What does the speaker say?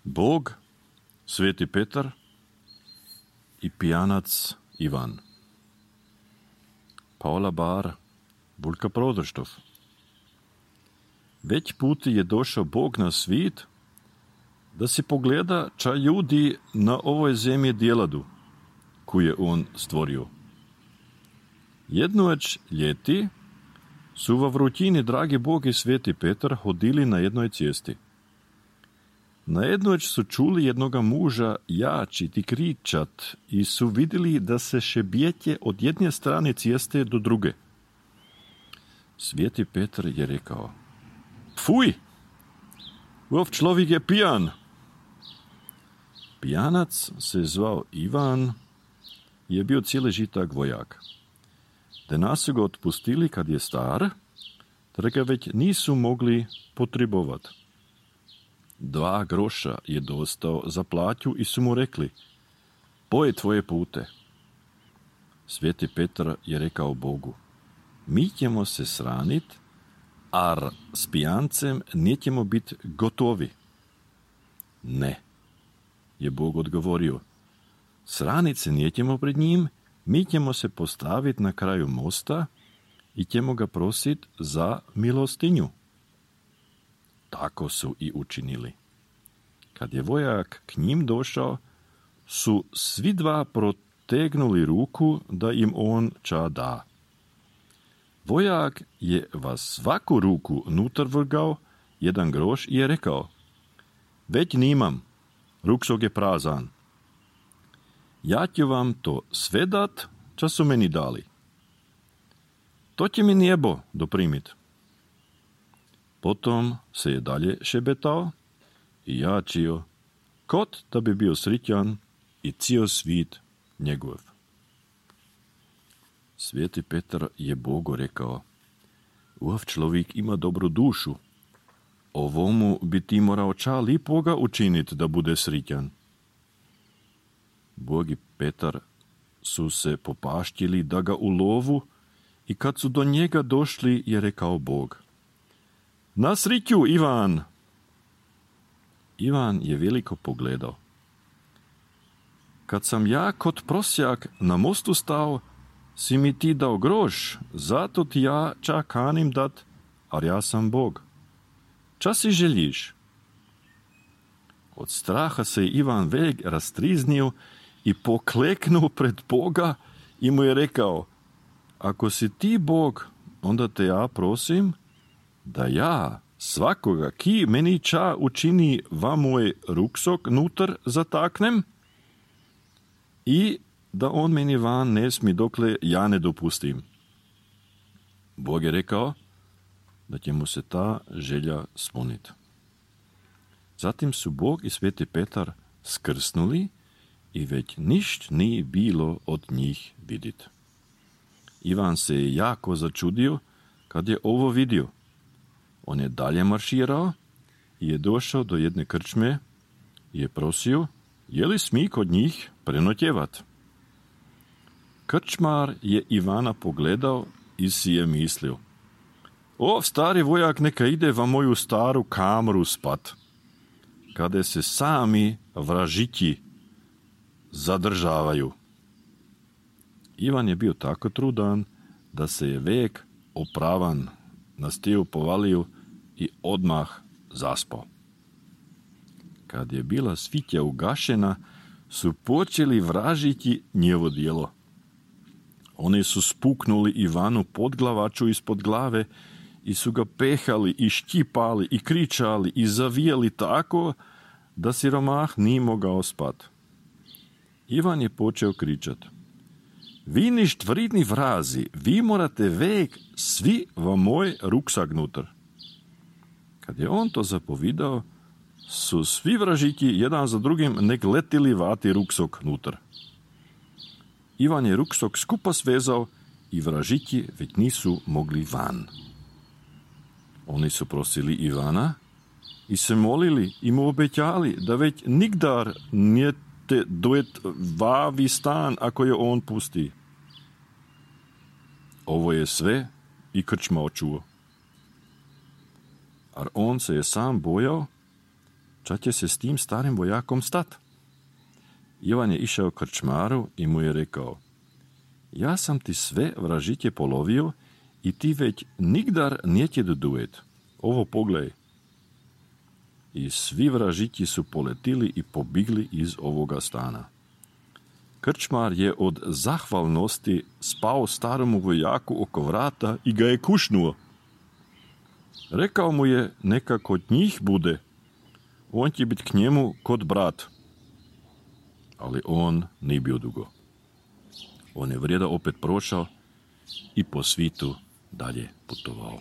Bog, Sveti Petar i pijanac Ivan. Paula Bar, Bulka Prodrštov. Već puti je došao Bog na svit da si pogleda ča ljudi na ovoj zemlji djeladu, koju je on stvorio. Jednoć ljeti su v vrutini dragi Bog i Sveti Petar hodili na jednoj cesti. Na jednoć su čuli jednoga muža jačit i kričat i su vidjeli da se šebjetje od jedne strane ceste do druge. Sveti Petar je rekao: Fuj! Ov človek je pijan! Pijanac se zvao Ivan, je bio cijeli žitak vojak. Danas su ga otpustili kad je star, da ga već nisu mogli potrebovat. 2 groša je dostao za plaću i su mu rekli: Poj tvoje pute. Sveti Petar je rekao Bogu: Mi ćemo se sranit, ar s pijancem nećemo biti gotovi. Ne, je Bog odgovorio, sranit se nećemo pred njim, mi ćemo se postaviti na kraju mosta i ćemo ga prosit za milostinju. Tako su i učinili. Kad je vojak k njim došao, su svi 2 protegnuli ruku da im on ča da. Vojak je va svaku ruku nutar vrgao 1 groš i je rekao: Već nimam, ruksok je prazan. Ja ću vam to sve dat, ča su meni dali. To će mi nebo doprimit. Potom se je dalje šebetao i jačio, kot da bi bio sritjan i cijel svit njegov. Sveti Petar je Bogu rekao: Ov človek ima dobru dušu. Ovomu bi ti morao ča lipoga učiniti da bude sritjan. Bog i Petar su se popaštili da ga ulovu i kad su do njega došli je rekao Bog: Na sriću, Ivan! Ivan je veliko pogledao. Kad sam ja kot prosjak na mostu stao, si mi ti dao groš, zato ti ja ča kanim dat, ar ja sam Bog. Ča si želiš? Od straha se je Ivan velik rastriznio i pokleknuo pred Boga i mu je rekao: Ako si ti Bog, onda te ja prosim da ja svakoga, ki meni ča učini va moj ruksok nutar zataknem i da on meni van ne smi dokle ja ne dopustim. Bog je rekao da će mu se ta želja spuniti. Zatim su Bog i Sveti Petar skrsnuli i već ništ nije bilo od njih vidit. Ivan se je jako začudio kad je ovo vidio. On je dalje marširao i je došao do jedne krčme i je prosio, je li smi kod njih prenotjevat. Krčmar je Ivana pogledao i si je mislio: O, stari vojak neka ide va moju staru kamru spat, kada se sami vražiti zadržavaju. Ivan je bio tako trudan da se je vek opravan na stiju povalio i odmah zaspao. Kad je bila svitja ugašena, su počeli vražiti njevo djelo. Oni su spuknuli Ivanu podglavaču ispod glave i su ga pehali i štipali i kričali i zavijali tako da siromah nije mogao spat. Ivan je počeo kričat: Vi ništ vridni vrazi, vi morate vek svi va moj ruksak nutar. Kad je on to zapovidao, su svi vražiti jedan za drugim nek letili vati ruksok nutar. Ivan je ruksok skupa svezao i vražiti već nisu mogli van. Oni su prosili Ivana i se molili i mu obećali da već nigdar njete dojet vavi stan ako je on pusti. Ovo je sve i krčma očuo. Ar on se je sam bojao, Ča će se s tim starim vojakom stat? Ivan je išao krčmaru i mu je rekao: ja sam ti sve vražitje polovio i ti već nigdar njeće dodujet. Ovo pogledaj. I svi vražitji su poletili i pobigli iz ovoga stana. Krčmar je od zahvalnosti spao staromu vojaku oko vrata i ga je kušnuo. Rekao mu je neka kod njih bude, on će biti k njemu kod brat. Ali on nije bio dugo. On je vrijeda opet prošao i po svitu dalje putovao.